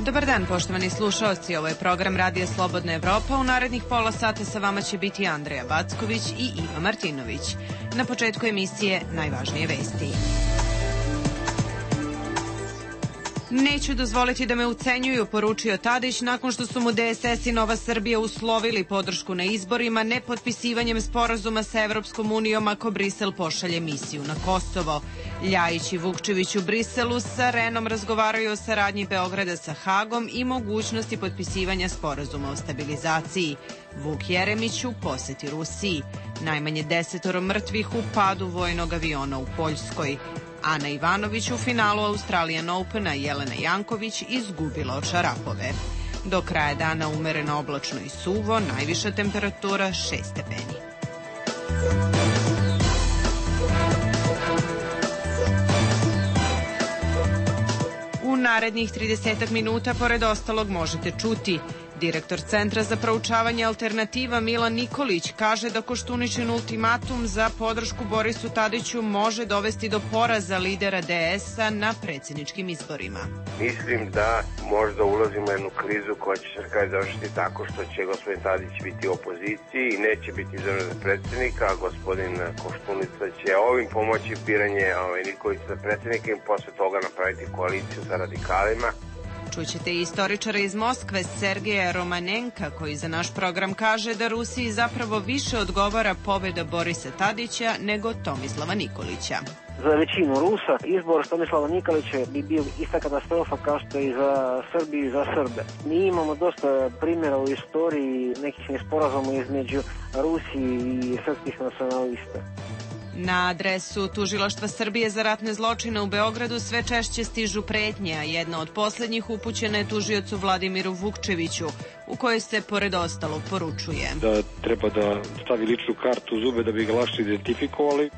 Dobar dan, poštovani slušaoci. Ovo je program Radija Slobodna Evropa. U narednih pola sata sa vama će biti Andreja Backović i Iva Martinović. Na početku emisije najvažnije vesti. Neću dozvoliti da me ucenjuju, poručio Tadić nakon što su mu DSS i Nova Srbija uslovili podršku na izborima nepotpisivanjem sporazuma sa Evropskom unijom ako Brisel pošalje misiju na Kosovo. Ljajić i Vukčević u Briselu sa Renom razgovaraju o saradnji Beograda sa Hagom i mogućnosti potpisivanja sporazuma o stabilizaciji. Vuk Jeremić u poseti Rusiji. Najmanje 10 mrtvih u padu vojnog aviona u Poljskoj. Ana Ivanović u finalu Australian Opena, Jelena Janković izgubila od Šarapove. Do kraja dana umereno oblačno i suvo, najviša temperatura 6 stepeni. U narednih 30 minuta, pored ostalog, možete čuti: direktor Centra za proučavanje alternativa Milan Nikolić kaže da Koštuničin ultimatum za podršku Borisu Tadiću može dovesti do poraza lidera DS-a na predsjedničkim izborima. Mislim da možda ulazimo u jednu krizu koja će se kraj završiti tako što će gospodin Tadić biti u opoziciji i neće biti izabran za predsjednika, a gospodin Koštunica će ovim pomoći biranje Nikolića za predsjednika i posle toga napraviti koaliciju sa radikalima. Čućete i istoričara iz Moskve, Sergeja Romanenka, koji za naš program kaže da Rusiji zapravo više odgovara pobjeda Borisa Tadića nego Tomislava Nikolića. Za većinu Rusa izbor Tomislava Nikolića bi bio ista katastrofa kao što i za Srbiju i za Srbe. Mi imamo dosta primjera u istoriji nekih nesporazuma između Rusije i srpskih nacionalista. Na adresu Tužilaštva Srbije za ratne zločine u Beogradu sve češće stižu pretnje, a jedna od poslednjih upućena je tužiocu Vladimiru Vukčeviću, u kojoj se pored ostalog poručuje da treba da stavi ličnu kartu u zube da bi ga lakše identifikovali.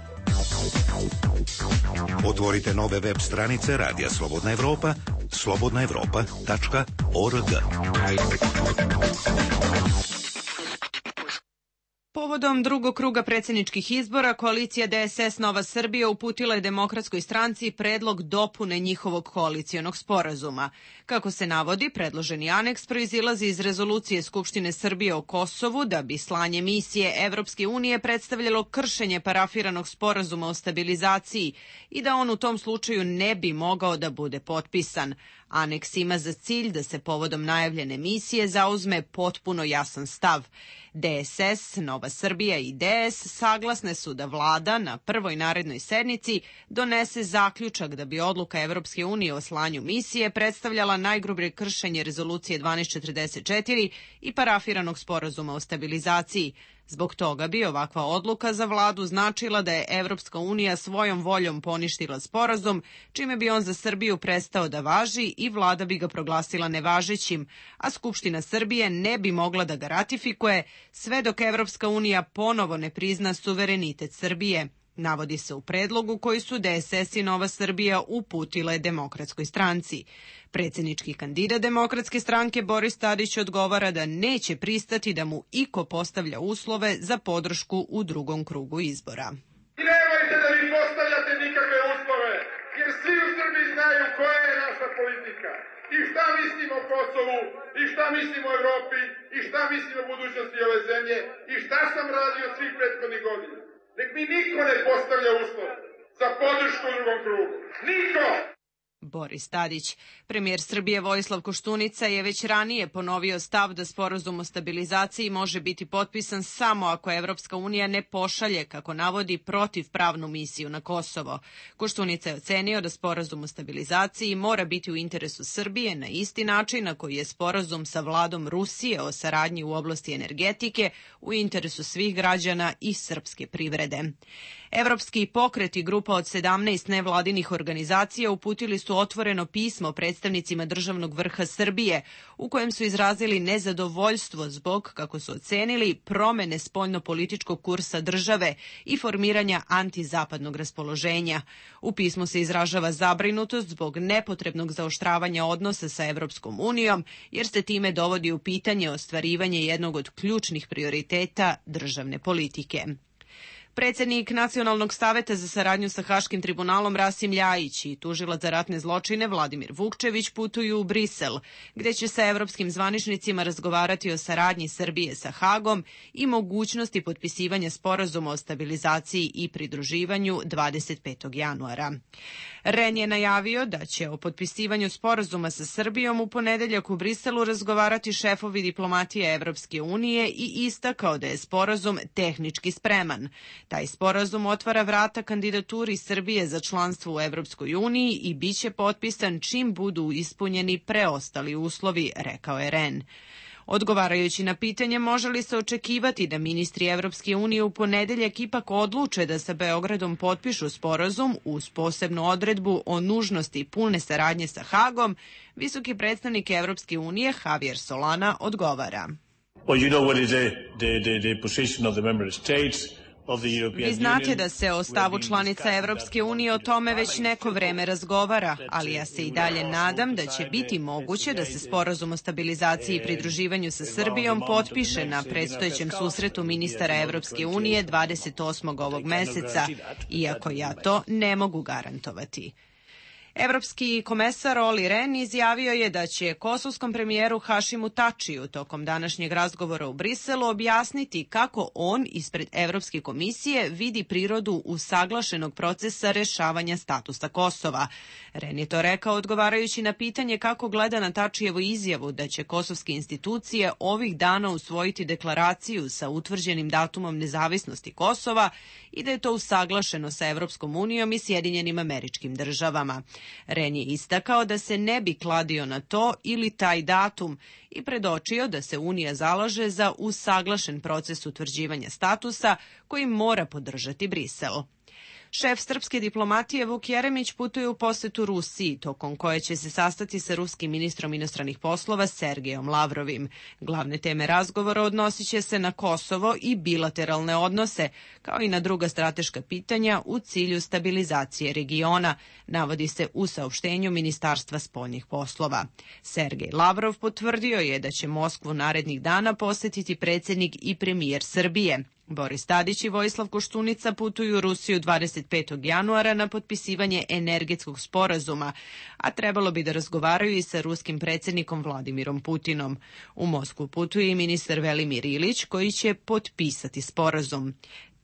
Otvorite nove web stranice Radija Slobodna Evropa, slobodnaevropa.org. Povodom drugog kruga predsjedničkih izbora, koalicija DSS Nova Srbija uputila je Demokratskoj stranci predlog dopune njihovog koalicionog sporazuma. Kako se navodi, predloženi aneks proizilazi iz rezolucije Skupštine Srbije o Kosovu da bi slanje misije Evropske unije predstavljalo kršenje parafiranog sporazuma o stabilizaciji i da on u tom slučaju ne bi mogao da bude potpisan. Aneks ima za cilj da se povodom najavljene misije zauzme potpuno jasan stav. DSS, Nova Srbija i DS saglasne su da vlada na prvoj narednoj sednici donese zaključak da bi odluka Evropske unije o slanju misije predstavljala najgrublje kršenje rezolucije 1244 i parafiranog sporazuma o stabilizaciji. Zbog toga bi ovakva odluka za vladu značila da je Evropska unija svojom voljom poništila sporazum, čime bi on za Srbiju prestao da važi i vlada bi ga proglasila nevažećim, a Skupština Srbije ne bi mogla da ga ratifikuje sve dok Evropska unija ponovo ne prizna suverenitet Srbije. Navodi se u predlogu koji su DSS i Nova Srbija uputile Demokratskoj stranci. Predsjednički kandidat Demokratske stranke Boris Tadić odgovara da neće pristati da mu iko postavlja uslove za podršku u drugom krugu izbora. Nemojte da mi postavljate nikakve uslove, jer svi u Srbiji znaju koja je naša politika i šta mislimo o Kosovu i šta mislimo o Evropi i šta mislimo o budućnosti ove zemlje i šta sam radio svih prethodnih godina. Nek mi niko ne postavlja uslove za podršku u drugom krugu. Niko! Boris Tadić. Premijer Srbije Vojislav Koštunica je već ranije ponovio stav da sporazum o stabilizaciji može biti potpisan samo ako Evropska unija ne pošalje, kako navodi, protivpravnu misiju na Kosovo. Koštunica je ocenio da sporazum o stabilizaciji mora biti u interesu Srbije na isti način na koji je sporazum sa vladom Rusije o saradnji u oblasti energetike u interesu svih građana i srpske privrede. Evropski pokret i grupa od 17 nevladinih organizacija uputili su otvoreno pismo predstavnicima državnog vrha Srbije u kojem su izrazili nezadovoljstvo zbog, kako su ocenili, promene spoljnopolitičkog kursa države i formiranja antizapadnog raspoloženja. U pismu se izražava zabrinutost zbog nepotrebnog zaoštravanja odnosa sa Evropskom unijom, jer se time dovodi u pitanje ostvarivanje jednog od ključnih prioriteta državne politike. Predsednik Nacionalnog saveta za saradnju sa Haškim tribunalom Rasim Ljajić i tužilac za ratne zločine Vladimir Vukčević putuju u Brisel, gde će sa evropskim zvaničnicima razgovarati o saradnji Srbije sa Hagom i mogućnosti potpisivanja sporazuma o stabilizaciji i pridruživanju 25. januara. REN je najavio da će o potpisivanju sporazuma sa Srbijom u ponedeljak u Briselu razgovarati šefovi diplomatije Evropske unije i istakao da je sporazum tehnički spreman. Taj sporazum otvara vrata kandidaturi Srbije za članstvo u Evropskoj uniji i biće potpisan čim budu ispunjeni preostali uslovi, rekao je REN. Odgovarajući na pitanje može li se očekivati da ministri Evropske unije u ponedeljak ipak odluče da sa Beogradom potpišu sporazum uz posebnu odredbu o nužnosti pune saradnje sa Hagom, visoki predstavnik Evropske unije Javier Solana odgovara. Vi znate da se o stavu članica Evropske unije o tome već neko vreme razgovara, ali ja se i dalje nadam da će biti moguće da se sporazum o stabilizaciji i pridruživanju sa Srbijom potpiše na predstojećem susretu ministara Evropske unije 28. ovog meseca, iako ja to ne mogu garantovati. Evropski komesar Olli Rehn izjavio je da će kosovskom premijeru Hašimu Tačiju tokom današnjeg razgovora u Briselu objasniti kako on ispred Evropske komisije vidi prirodu usaglašenog procesa rešavanja statusa Kosova. Rehn je to rekao odgovarajući na pitanje kako gleda na Tačijevu izjavu da će kosovske institucije ovih dana usvojiti deklaraciju sa utvrđenim datumom nezavisnosti Kosova i da je to usaglašeno sa Evropskom unijom i Sjedinjenim Američkim Državama. Rehn je istakao da se ne bi kladio na to ili taj datum i predočio da se Unija zalaže za usaglašen proces utvrđivanja statusa koji mora podržati Brisel. Šef srpske diplomatije Vuk Jeremić putuje u posetu Rusiji, tokom koje će se sastati sa ruskim ministrom inostranih poslova Sergejom Lavrovim. Glavne teme razgovora odnosit će se na Kosovo i bilateralne odnose, kao i na druga strateška pitanja u cilju stabilizacije regiona, navodi se u saopštenju Ministarstva spoljnih poslova. Sergej Lavrov potvrdio je da će Moskvu narednih dana posetiti predsednik i premijer Srbije. Boris Tadić i Vojislav Koštunica putuju u Rusiju 25. januara na potpisivanje energetskog sporazuma, a trebalo bi da razgovaraju i sa ruskim predsjednikom Vladimirom Putinom. U Moskvu putuje i ministar Velimir Ilić koji će potpisati sporazum.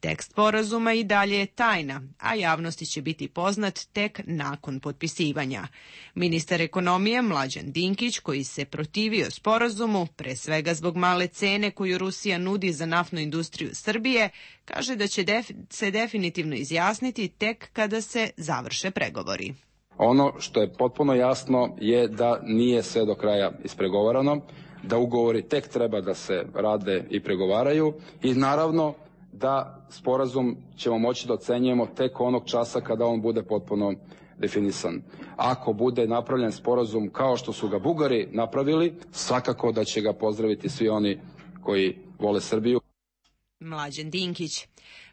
Tekst sporazuma i dalje je tajna, a javnosti će biti poznat tek nakon potpisivanja. Ministar ekonomije Mlađan Dinkić, koji se protivio sporazumu, pre svega zbog male cene koju Rusija nudi za naftnu industriju Srbije, kaže da će se definitivno izjasniti tek kada se završe pregovori. Ono što je potpuno jasno je da nije sve do kraja ispregovarano, da ugovori tek treba da se rade i pregovaraju i naravno da sporazum ćemo moći da ocenjujemo tek onog časa kada on bude potpuno definisan. Ako bude napravljen sporazum kao što su ga Bugari napravili, svakako da će ga pozdraviti svi oni koji vole Srbiju. Mlađan Dinkić.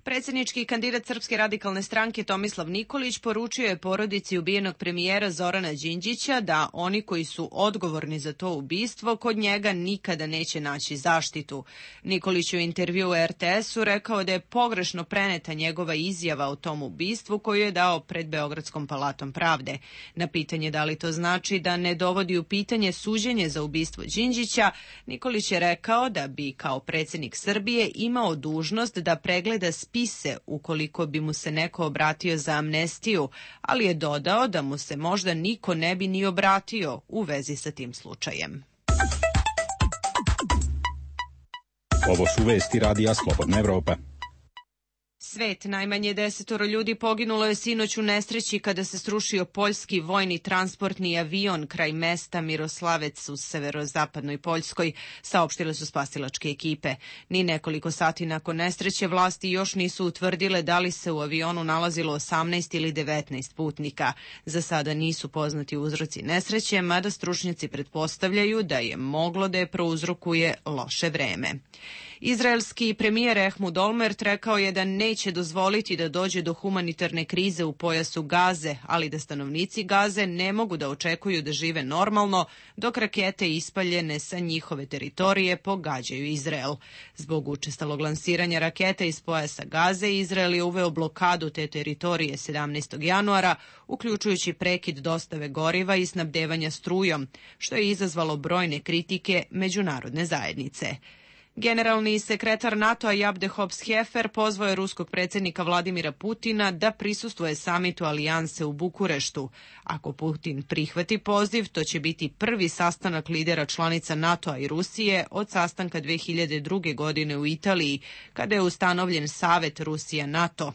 Predsjednički kandidat Srpske radikalne stranke Tomislav Nikolić poručio je porodici ubijenog premijera Zorana Đinđića da oni koji su odgovorni za to ubistvo kod njega nikada neće naći zaštitu. Nikolić u intervju u RTS-u rekao da je pogrešno preneta njegova izjava o tom ubistvu koju je dao pred Beogradskom palatom pravde. Na pitanje da li to znači da ne dovodi u pitanje suđenje za ubistvo Đinđića, Nikolić je rekao da bi kao predsjednik Srbije imao dužnost da pregleda spise ukoliko bi mu se neko obratio za amnestiju, ali je dodao da mu se možda niko ne bi ni obratio u vezi sa tim slučajem. Ovo su vesti Radija Slobodna Evropa. Svet, najmanje 10 ljudi poginulo je sinoć u nesreći kada se srušio poljski vojni transportni avion kraj mesta Miroslavec u severozapadnoj Poljskoj, saopštile su spasilačke ekipe. Ni nekoliko sati nakon nesreće vlasti još nisu utvrdile da li se u avionu nalazilo 18 ili 19 putnika. Za sada nisu poznati uzroci nesreće, mada stručnjaci pretpostavljaju da je moglo da je prouzrokuje loše vreme. Izraelski premijer Ehud Olmert rekao je da neće dozvoliti da dođe do humanitarne krize u pojasu Gaze, ali da stanovnici Gaze ne mogu da očekuju da žive normalno dok rakete ispaljene sa njihove teritorije pogađaju Izrael. Zbog učestalog lansiranja raketa iz pojasa Gaze, Izrael je uveo blokadu te teritorije 17. januara, uključujući prekid dostave goriva i snabdevanja strujom, što je izazvalo brojne kritike međunarodne zajednice. Generalni sekretar NATO-a Jabde Hobbs-Hefer pozvao je ruskog predsjednika Vladimira Putina da prisustvuje samitu alijanse u Bukureštu. Ako Putin prihvati poziv, to će biti prvi sastanak lidera članica NATO-a i Rusije od sastanka 2002. godine u Italiji, kada je ustanovljen Savet Rusija-NATO.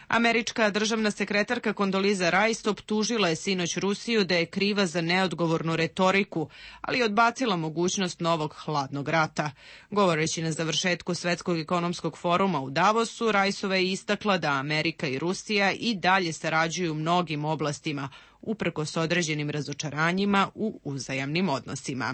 Američka državna sekretarka Kondoliza Rice optužila je sinoć Rusiju da je kriva za neodgovornu retoriku, ali je odbacila mogućnost novog hladnog rata. Govoreći na završetku Svetskog ekonomskog foruma u Davosu, Riceova je istakla da Amerika i Rusija i dalje sarađuju u mnogim oblastima, uprkos određenim razočaranjima u uzajamnim odnosima.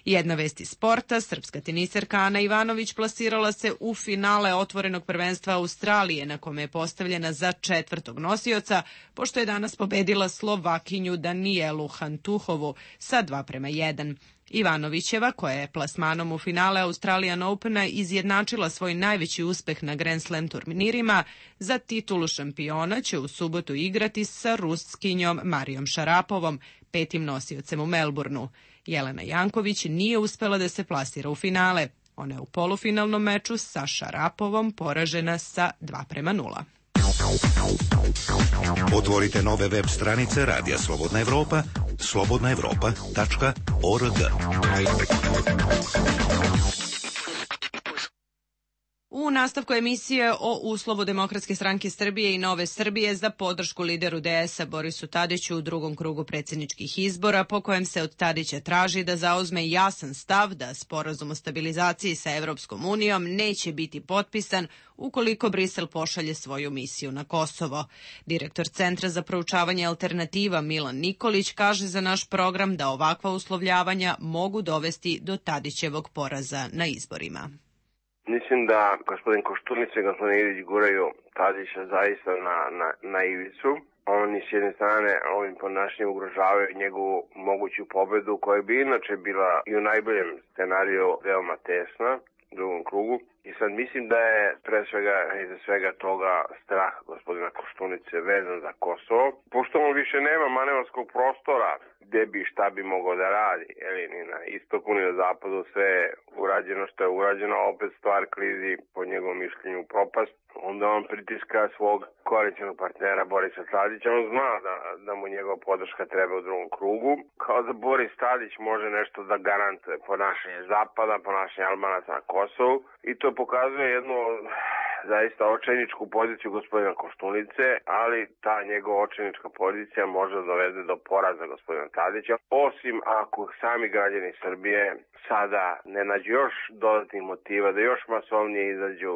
Jedna vest iz sporta, srpska teniserka Ana Ivanović plasirala se u finale otvorenog prvenstva Australije, na kome je postavljena za 4. nosioca, pošto je danas pobedila Slovakinju Danijelu Hantuhovu sa 2:1. Ivanovićeva, koja je plasmanom u finale Australian Opena izjednačila svoj najveći uspeh na Grand Slam turnirima, za titulu šampiona će u subotu igrati sa Ruskinjom Marijom Šarapovom, 5. nosiocem u Melbourneu. Jelena Janković nije uspela da se plasira u finale. Ona je u polufinalnom meču sa Šarapovom poražena sa 2:0. Otvorite nove web stranice Radija Slobodna Evropa, slobodnaevropa.org. U nastavku emisije o uslovu Demokratske stranke Srbije i Nove Srbije za podršku lideru DS-a Borisu Tadiću u drugom krugu predsjedničkih izbora, po kojem se od Tadića traži da zauzme jasan stav da sporazum o stabilizaciji sa Evropskom unijom neće biti potpisan ukoliko Brisel pošalje svoju misiju na Kosovo. Direktor Centra za proučavanje alternativa Milan Nikolić kaže za naš program da ovakva uslovljavanja mogu dovesti do Tadićevog poraza na izborima. Mislim da gospodin Koštunica i gospodin Ilić guraju Tadića zaista na ivicu. Oni s jedne strane ovim ponašanjem ugrožavaju njegovu moguću pobedu, koja bi inače bila i u najboljem scenariju veoma tesna u drugom krugu. I sad mislim da je pre svega iza svega toga strah gospodina Koštunice vezan za Kosovo. Pošto on više nema manevarskog prostora gde bi šta bi mogao da radi, ni na istoku ni na zapadu sve je urađeno što je urađeno, a opet stvar klizi po njegovom mišljenju u propast. Onda on pritiska svog koalicionog partnera Borisa Tadića. On zna da mu njegova podrška treba u drugom krugu. Kao da Boris Tadić može nešto da garantuje ponašanje Zapada, ponašanje Albanaca na Kosovu. I to pokazuje jednu zaista očajničku poziciju gospodina Koštunice, ali ta njegova očajnička pozicija može da dovede do poraza gospodina Tadića, osim ako sami građani Srbije sada ne nađu još dodatnih motiva da još masovnije izađu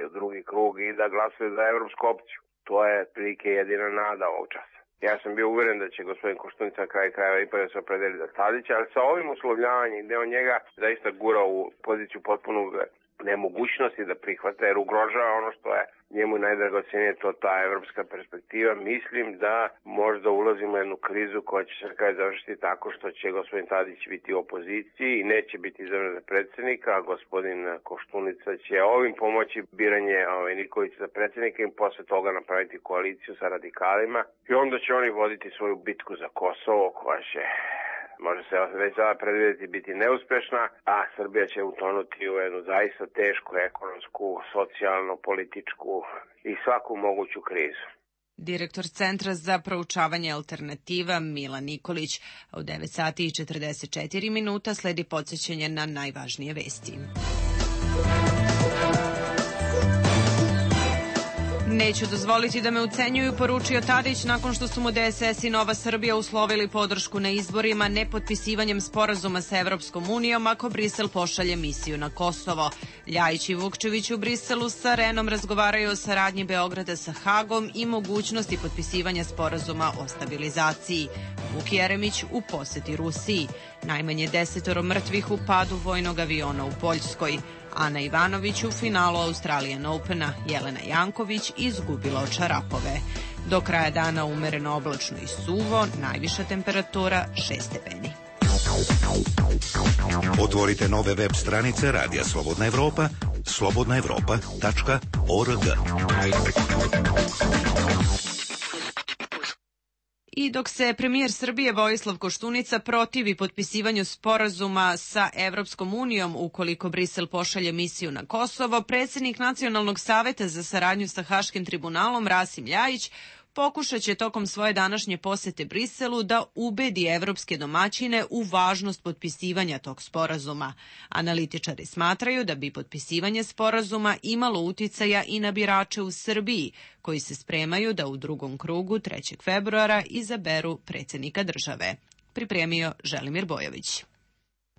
u drugi krug i da glasuju za evropsku opciju. To je prilike jedina nada ovog časa. Ja sam bio uveren da će gospodin Koštunica na kraju krajeva ipak da se opredeli za Tadića, ali sa ovim uslovljavanjem gde on njega zaista gura u poziciju potpunog nemogućnosti da prihvata, jer ugrožava ono što je njemu najdragocenije, to ta evropska perspektiva. Mislim da možda ulazimo u jednu krizu koja će se kraj završiti tako što će gospodin Tadić biti u opoziciji i neće biti izabran za predsjednika, a gospodin Koštunica će ovim pomoći biranje Nikolića za predsjednika i posle toga napraviti koaliciju sa radikalima i onda će oni voditi svoju bitku za Kosovo koja će, može se već sada predvidjeti, biti neuspešna, a Srbija će utonuti u jednu zaista tešku ekonomsku, socijalno, političku i svaku moguću krizu. Direktor Centra za proučavanje alternativa Milan Nikolić. U 9:44 sledi podsjećanje na najvažnije vesti. Neću dozvoliti da me ucenjuju, poručio Tadić nakon što su mu DSS i Nova Srbija uslovili podršku na izborima nepotpisivanjem sporazuma sa Evropskom unijom ako Brisel pošalje misiju na Kosovo. Ljajić i Vukčević u Briselu sa Renom razgovaraju o saradnji Beograda sa Hagom i mogućnosti potpisivanja sporazuma o stabilizaciji. Vuk Jeremić u poseti Rusiji. Najmanje 10 mrtvih u padu vojnog aviona u Poljskoj. Ana Ivanović u finalu Australian Opena, Jelena Janković izgubila od Šarapove. Do kraja dana umereno oblačno i suvo, najviša temperatura 6 stepeni. Otvorite nove web stranice Radija Slobodna Evropa, slobodnaevropa.org. I dok se premijer Srbije Vojislav Koštunica protivi potpisivanju sporazuma sa Evropskom unijom ukoliko Brisel pošalje misiju na Kosovo, predsjednik Nacionalnog saveta za saradnju sa Haškim tribunalom Rasim Ljajić pokušat će tokom svoje današnje posete Briselu da ubedi evropske domaćine u važnost potpisivanja tog sporazuma. Analitičari smatraju da bi potpisivanje sporazuma imalo uticaja i na birače u Srbiji, koji se spremaju da u drugom krugu 3. februara izaberu predsjednika države. Pripremio Želimir Bojović.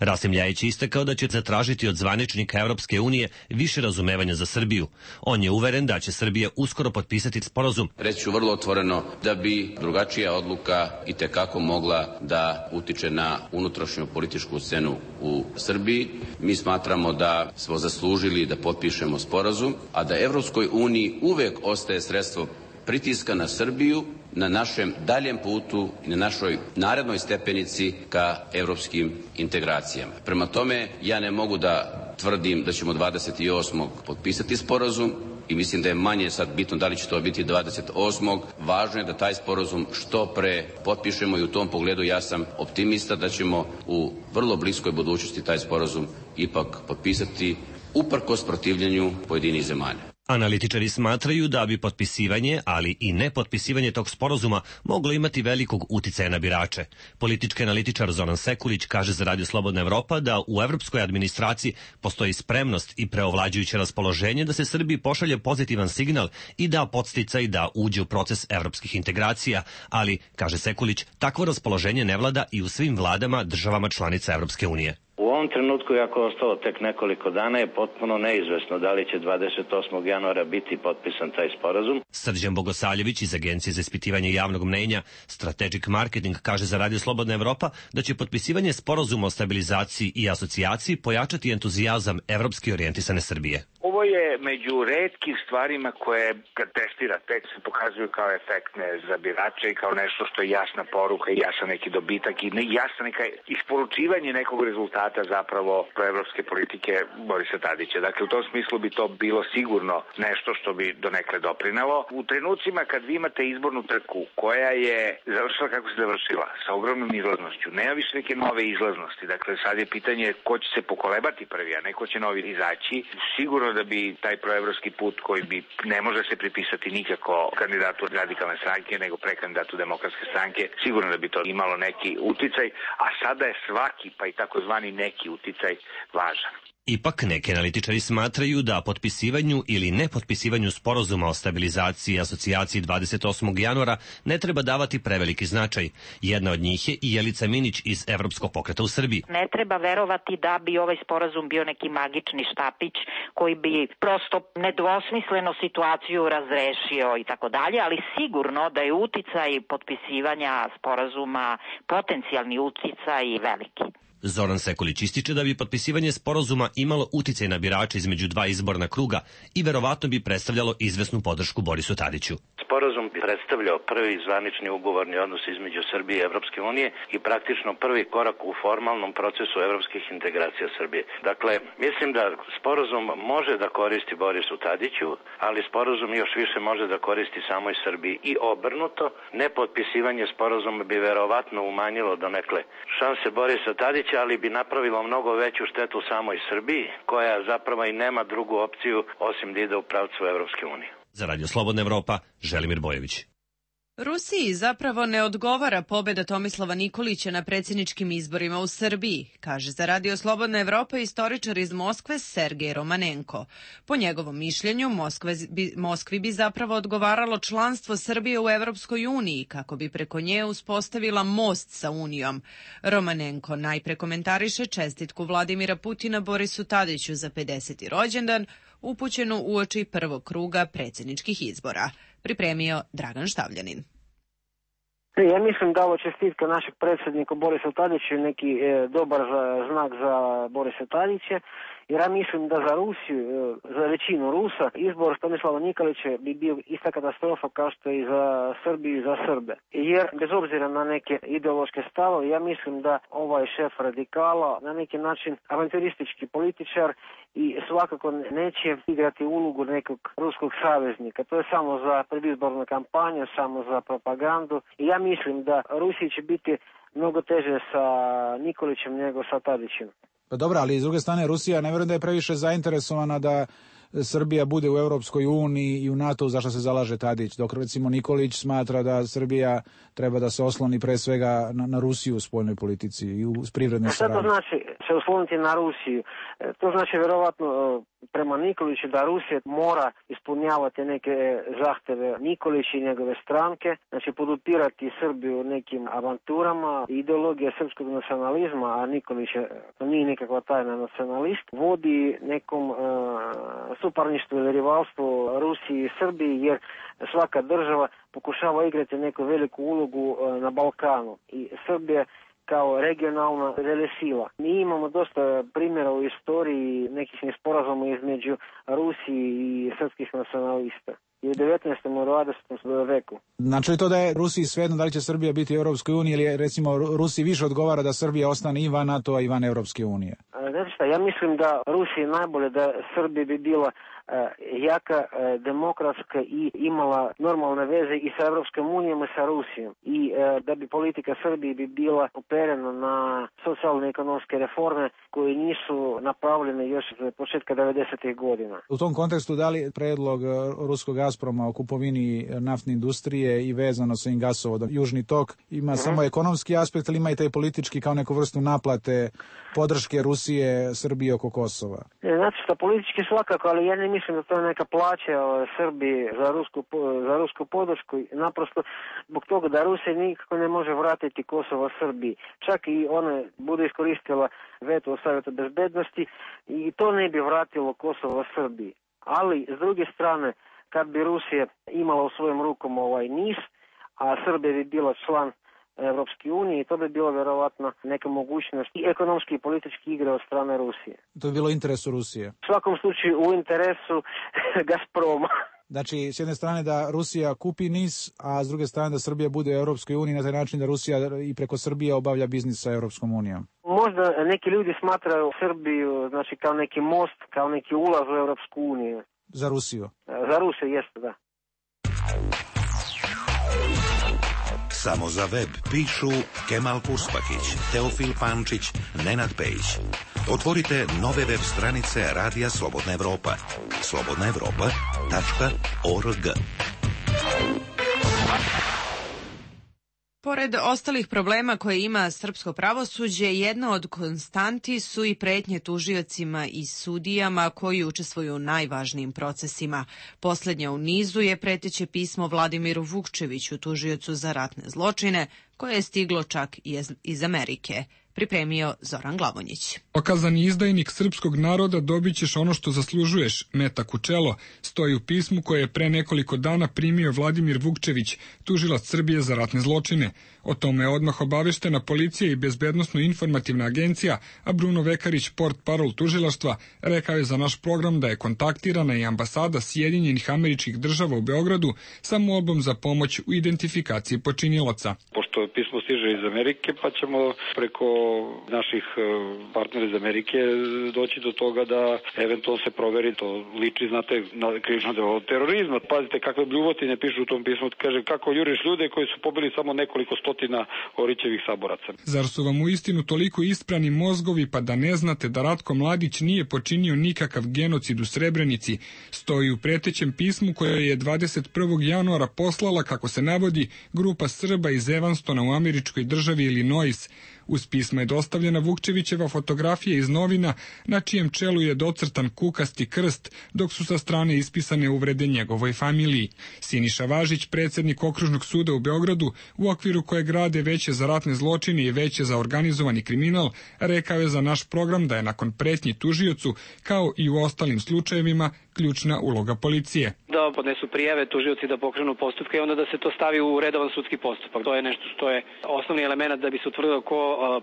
Rasim Ljajić je istakao da će zatražiti od zvaničnika Evropske unije više razumevanja za Srbiju. On je uveren da će Srbija uskoro potpisati sporazum. Reći ću vrlo otvoreno da bi drugačija odluka itekako mogla da utiče na unutrašnju političku scenu u Srbiji. Mi smatramo da smo zaslužili da potpišemo sporazum, a da Evropskoj uniji uvek ostaje sredstvo pritiska na Srbiju, na našem daljem putu i na našoj narednoj stepenici ka evropskim integracijama. Prema tome, ja ne mogu da tvrdim da ćemo 28. potpisati sporazum i mislim da je manje sad bitno da li će to biti 28. Važno je da taj sporazum što pre potpišemo i u tom pogledu ja sam optimista da ćemo u vrlo bliskoj budućnosti taj sporazum ipak potpisati uprkos protivljenju pojedinih zemalja. Analitičari smatraju da bi potpisivanje, ali i nepotpisivanje tog sporazuma moglo imati velikog uticaja na birače. Politički analitičar Zoran Sekulić kaže za Radio Slobodna Evropa da u evropskoj administraciji postoji spremnost i preovlađujuće raspoloženje da se Srbiji pošalje pozitivan signal i da podsticaj da uđe u proces evropskih integracija, ali, kaže Sekulić, takvo raspoloženje ne vlada i u svim vladama državama članica Evropske unije. U ovom trenutku, iako je ostalo tek nekoliko dana, je potpuno neizvesno da li će 28. januara biti potpisan taj sporazum. Srđan Bogosaljević iz Agencije za ispitivanje javnog mnenja Strategic Marketing kaže za Radio Slobodna Evropa da će potpisivanje sporazuma o stabilizaciji i asocijaciji pojačati entuzijazam evropski orijentisane Srbije. Ovo je među retkim stvarima koje kad testira tekst se pokazuju kao efektne za birače i kao nešto što je jasna poruka i jasan neki dobitak i jasna neka isporučivanje nekog rezultata zapravo proevropske politike Borisa Tadića. Dakle, u tom smislu bi to bilo sigurno nešto što bi donekle doprinelo. U trenucima kad vi imate izbornu trku koja je završila kako se završila, sa ogromnom izlaznošću, nema više neke nove izlaznosti. Dakle, sad je pitanje ko će se pokolebati prvi, a neko će novi izaći. Sigurno da bi taj proevropski put koji bi ne može se pripisati nikako kandidatu radikalne stranke, nego prekandidatu demokratske stranke, sigurno da bi to imalo neki uticaj, a sada je svaki, pa i takozvani neki uticaj važan. Ipak neki analitičari smatraju da potpisivanju ili nepotpisivanju sporazuma o stabilizaciji i asocijaciji 28. januara ne treba davati preveliki značaj. Jedna od njih je i Jelica Minić iz Evropskog pokreta u Srbiji. Ne treba verovati da bi ovaj sporazum bio neki magični štapić koji bi prosto nedvosmisleno situaciju razrešio i tako dalje, ali sigurno da je uticaj potpisivanja sporazuma, potencijalni uticaj veliki. Zoran Sekulić ističe da bi potpisivanje sporazuma imalo uticaj na birače između dva izborna kruga i verovatno bi predstavljalo izvesnu podršku Borisu Tadiću. Sporazum bi predstavljao prvi zvanični ugovorni odnos između Srbije i Evropske unije i praktično prvi korak u formalnom procesu evropskih integracija Srbije. Dakle, mislim da sporazum može da koristi Borisu Tadiću, ali sporazum još više može da koristi samoj Srbiji i obrnuto. Nepotpisivanje sporazuma bi verovatno umanjilo donekle šanse Borisa Tadića, ali bi napravilo mnogo veću štetu samoj Srbiji, koja zapravo i nema drugu opciju osim da ide u pravcu Evropske unije. Za Radio Slobodna Evropa, Želimir Bojović. Rusiji zapravo ne odgovara pobjeda Tomislava Nikolića na predsjedničkim izborima u Srbiji, kaže za Radio Slobodna Evropa istoričar iz Moskve Sergej Romanenko. Po njegovom mišljenju, Moskvi bi zapravo odgovaralo članstvo Srbije u Evropskoj uniji, kako bi preko nje uspostavila most sa Unijom. Romanenko najpre komentariše čestitku Vladimira Putina Borisu Tadiću za 50. rođendan, upućenu uoči prvog kruga predsjedničkih izbora. Pripremio Dragan Štavljanin. Ja mislim da ovo čestitka našeg predsjednika Borisa Tadića je neki dobar znak za Borisa Tadića Jer ja mislim da za Rusiju, za većinu Rusa, izbor Tomislava Nikolića bi bio ista katastrofa kao što i za Srbiju i za Srbe. Jer bez obzira na neke ideološke stavove, ja mislim da ovaj šef radikala na neki način avanturistički političar i svakako neće igrati ulogu nekog ruskog saveznika. To je samo za predizbornu kampanju, samo za propagandu. I ja mislim da Rusiji će biti mnogo teže sa Nikolićem nego sa Tadićem. Pa dobro, ali s druge strane Rusija ne vjerujem da je previše zainteresovana da Srbija bude u Europskoj uniji i u NATO, za što se zalaže Tadić, dok recimo Nikolić smatra da Srbija treba da se osloni pre svega na Rusiju u spoljnoj politici i u privrednoj saradnji. Šta to znači se osloniti na Rusiju? To znači vjerovatno prema Nikoliću da Rusija mora ispunjavati neke zahteve Nikolića i njegove stranke, znači podupirati Srbiju nekim avanturama. Ideologija srpskog nacionalizma, a Nikolić nije nikakva tajna nacionalist, vodi nekom suparništvu ili rivalstvu Rusiji i Srbiji, jer svaka država pokušava igrati neku veliku ulogu na Balkanu i Srbija kao regionalna velesila. Mi imamo dosta primjera u istoriji nekih nesporazuma između Rusije i srpskih nacionalista. I u 19. i 20. veku. Znači to da je Rusiji svejedno da li će Srbija biti u Europskoj uniji ili recimo Rusiji više odgovara da Srbija ostane i van NATO-a i van Europske unije? Znači šta, ja mislim da Rusiji najbolje da Srbija bi bila jaka, demokratska i imala normalne veze i sa Europskom unijom i sa Rusijom. I da bi politika Srbije bi bila uperena na socijalne ekonomske reforme koje nisu napravljene još od početka 90. godina. U tom kontekstu da li predlog ruskog Gazproma o kupovini naftne industrije i vezano sa gasovodom Južni tok ima samo ekonomski aspekt ili ima i taj politički kao neku vrstu naplate podrške Rusije Srbije oko Kosova? Znači što politički svakako, ali ja ne mislim da to je neka plaća Srbiji za rusku podršku. Naprosto zbog toga da Rusija nikako ne može vratiti Kosovo Srbiji. Čak i ona bude iskoristila veto u Savjetu bezbednosti i to ne bi vratilo Kosovo Srbiji. Ali s druge strane, kad bi Rusija imala u svojim rukom NIS, a Srbija bi bila član Evropske unije, to bi bilo vjerovatno neka mogućnost i ekonomski i politički igre od strane Rusije. To bi bilo u interesu Rusije? U svakom slučaju u interesu Gazproma. Znači, s jedne strane da Rusija kupi NIS, a s druge strane da Srbija bude u Europskoj uniji, na taj način da Rusija i preko Srbije obavlja biznis sa Europskom unijom. Možda neki ljudi smatraju Srbiju znači kao neki most, kao neki ulaz u Europsku uniju. Za Rusiju? Za Rusiju, jeste, da. Samo za web pišu Kemal Puspakić, Teofil Pančić, Nenad Pejić. Otvorite nove web stranice Radija Slobodna Evropa. slobodnaevropa.org. Pored ostalih problema koje ima srpsko pravosuđe, jedna od konstanti su i pretnje tužiocima i sudijama koji učestvuju u najvažnijim procesima. Posljednja u nizu je preteće pismo Vladimiru Vukčeviću, tužiocu za ratne zločine, koje je stiglo čak i iz Amerike. Pripremio Zoran Glavonjić. Okazani izdajnik srpskog naroda, dobit ćeš ono što zaslužuješ, metak u čelo, stoji u pismu koje je pre nekoliko dana primio Vladimir Vukčević, tužilac Srbije za ratne zločine. O tome je odmah obaveštena policija i bezbednosno-informativna agencija, a Bruno Vekarić, portparol tužilaštva, rekao je za naš program da je kontaktirana i ambasada Sjedinjenih Američkih Država u Beogradu sa molbom za pomoć u identifikaciji počinilaca. Pošto pismo stiže iz Amerike, pa ćemo preko naših partnera iz Amerike doći do toga da eventualno se proveri, to liči, znate, na krivično delo terorizma. Pazite kakve bljuvotine pišu u tom pismu, kaže kako juriš ljude koji su pobili samo nekoliko stotina Orićevih saboraca. Zar su vam u istinu toliko isprani mozgovi pa da ne znate da Ratko Mladić nije počinio nikakav genocid u Srebrenici, stoji u pretećem pismu koje je 21. januara poslala, kako se navodi, grupa Srba iz Evanstona u američkoj državi Illinois. Uz pismo je dostavljena Vukčevićeva fotografija iz novina na čijem čelu je docrtan kukasti krst, dok su sa strane ispisane uvrede njegovoj familiji. Siniša Važić, predsjednik Okružnog suda u Beogradu, u okviru koje grade Veće za ratne zločine i Veće za organizovani kriminal, rekao je za naš program da je nakon pretnji tužiocu, kao i u ostalim slučajevima, ključna uloga policije. Da podnesu prijave, tužioci da pokrenu postupke i onda da se to stavi u redovan sudski postupak. To je nešto što je osnovni element da bi se utvrdilo ko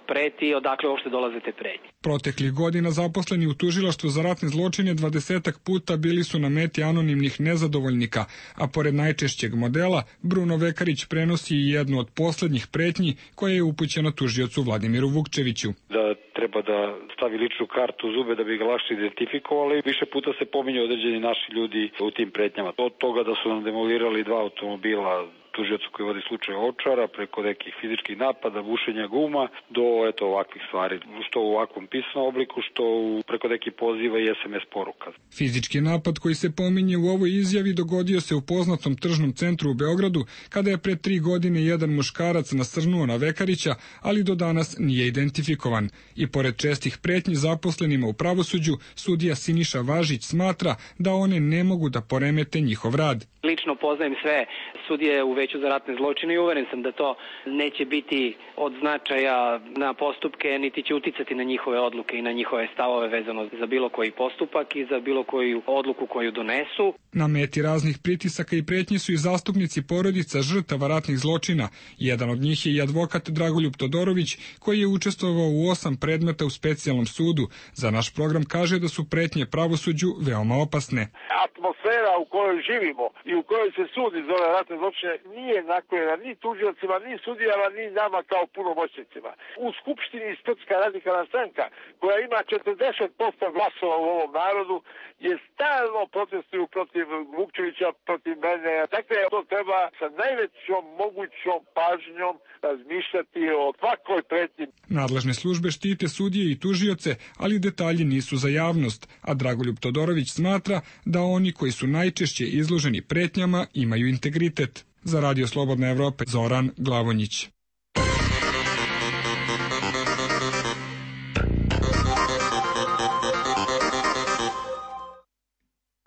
preti i odakle uopšte dolaze te pretnje. Proteklih godina zaposleni u tužilaštvu za ratne zločine 20-ak puta bili su na meti anonimnih nezadovoljnika, a pored najčešćeg modela, Bruno Vekarić prenosi i jednu od poslednjih pretnji koja je upućena tužiocu Vladimiru Vukčeviću. Da treba da stavi ličnu kartu u zube da bi ga lakše identifikovali. Više puta se pominju određeni naši ljudi u tim pretnjama. Od toga da su nam demolirali 2 automobila tužiocu koji vodi slučaj Ovčara, preko nekih fizičkih napada, bušenja guma, do ovakvih stvari, što u ovakvom pisanom obliku, što preko nekih poziva i SMS poruka. Fizički napad koji se pominje u ovoj izjavi dogodio se u poznatom tržnom centru u Beogradu, kada je pre 3 godine jedan muškarac nasrnuo na Vekarića, ali do danas nije identifikovan. I pored čestih pretnji zaposlenima u pravosuđu, sudija Siniša Važić smatra da one ne mogu da poremete njihov rad. Lično poznajem sve sudije u Veću za ratne zločine i uveren sam da to neće biti od značaja na postupke, niti će uticati na njihove odluke i na njihove stavove vezano za bilo koji postupak i za bilo koju odluku koju donesu. Na meti raznih pritisaka i pretnji su i zastupnici porodica žrtava ratnih zločina. Jedan od njih je i advokat Dragoljub Todorović, koji je učestvovao u 8 predmeta u specijalnom sudu. Za naš program kaže da su pretnje pravosuđu veoma opasne. Atmosfera u kojoj živimo i u kojoj se sudi za ove ratne zločine nije naklonjena ni tužiocima, ni sudijama, ni nama kao punomoćnicima. U Skupštini Srpska radikalna stranka, koja ima 40% glasova u ovom narodu, je stalno protestuju protiv Vukčevića, protiv mene. Dakle, to treba sa najvećom mogućom pažnjom razmišljati o svakoj pretnji. Nadležne službe štite sudije i tužioce, ali detalji nisu za javnost, a Dragoljub Todorović smatra da oni koji su najčešće izloženi pretnjama imaju integritet. Za Radio Slobodna Evropa, Zoran Glavonjić.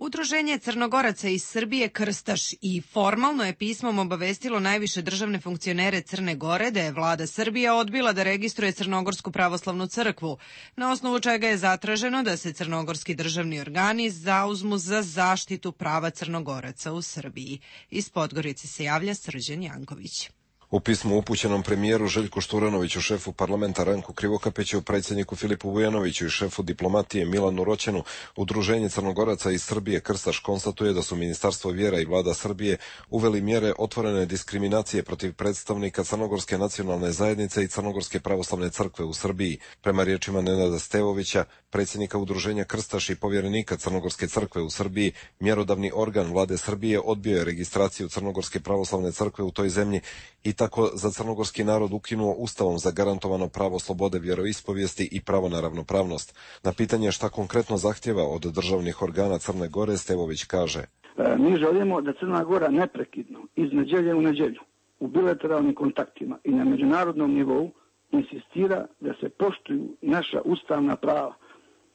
Udruženje Crnogoraca iz Srbije Krstaš i formalno je pismom obavestilo najviše državne funkcionere Crne Gore da je vlada Srbije odbila da registruje Crnogorsku pravoslavnu crkvu, na osnovu čega je zatraženo da se crnogorski državni organi zauzmu za zaštitu prava Crnogoraca u Srbiji. Iz Podgorice se javlja Srđan Janković. U pismu upućenom premijeru Željku Šturanoviću, šefu parlamenta Ranku Krivokapiću, predsjedniku Filipu Vujanoviću i šefu diplomatije Milanu Roćenu, Udruženje Crnogoraca iz Srbije Krstaš konstatuje da su Ministarstvo vjera i vlada Srbije uveli mjere otvorene diskriminacije protiv predstavnika Crnogorske nacionalne zajednice i Crnogorske pravoslavne crkve u Srbiji. Prema riječima Nenada Stevovića, predsjednika Udruženja Krstaš i povjerenika Crnogorske crkve u Srbiji, mjerodavni organ vlade Srbije odbio je registraciju Crnogorske pravoslavne crkve u toj zemlji i tako za crnogorski narod ukinuo ustavom zagarantovano pravo slobode vjeroispovijesti i pravo na ravnopravnost. Na pitanje šta konkretno zahtjeva od državnih organa Crne Gore, Stevović kaže: Mi želimo da Crna Gora neprekidno iz nedjelje u nedjelju u bilateralnim kontaktima i na međunarodnom nivou insistira da se poštuju naša ustavna prava.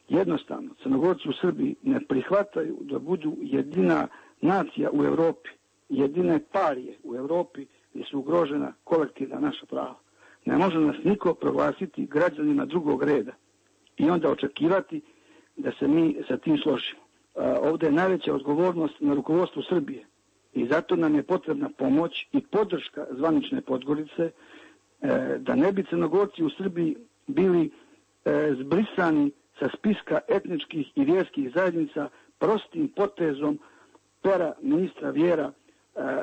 Jednostavno, Crnogorci u Srbiji ne prihvataju da budu jedina nacija u Europi, jedine parije u Europi gdje su ugrožena kolektivna naša prava. Ne može nas niko proglasiti građanima drugog reda i onda očekivati da se mi sa tim složimo. Ovdje je najveća odgovornost na rukovodstvu Srbije i zato nam je potrebna pomoć i podrška zvanične Podgorice da ne bi Crnogorci u Srbiji bili zbrisani sa spiska etničkih i vjerskih zajednica prostim potezom pera ministra vjera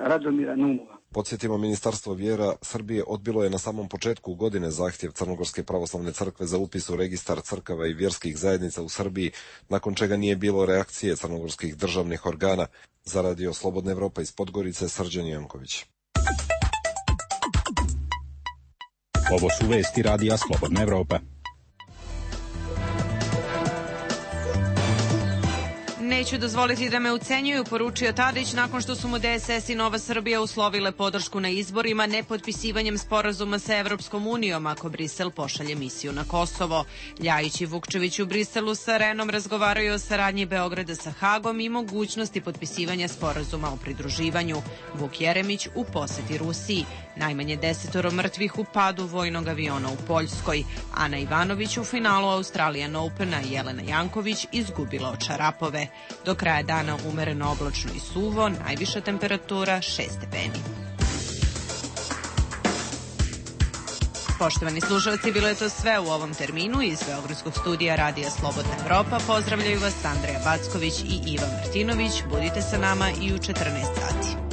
Radomira Naumova. Podsjetimo, Ministarstvo vjera Srbije odbilo je na samom početku godine zahtjev Crnogorske pravoslavne crkve za upis u registar crkava i vjerskih zajednica u Srbiji, nakon čega nije bilo reakcije crnogorskih državnih organa. Za Radio Slobodna Evropa iz Podgorice, Srđan Janković. Ovo su vesti Radija Slobodna Evropa. Neću dozvoliti da me ucenjuju, poručio Tadić nakon što su mu DSS i Nova Srbija uslovile podršku na izborima nepotpisivanjem sporazuma sa Evropskom unijom ako Brisel pošalje misiju na Kosovo. Ljajić i Vukčević u Briselu sa Renom razgovaraju o saradnji Beograda sa Hagom i mogućnosti potpisivanja sporazuma o pridruživanju. Vuk Jeremić u poseti Rusiji. Najmanje 10 mrtvih u padu vojnog aviona u Poljskoj. Ana Ivanović u finalu Australian Opena i Jelena Janković izgubila od Šarapove. Do kraja dana umereno oblačno i suvo, najviša temperatura 6 stepeni. Poštovani slušalci, bilo je to sve u ovom terminu. Iz Beogradskog studija Radija Slobodna Evropa pozdravljaju vas Andreja Backović i Iva Martinović. Budite sa nama i u 14 sati.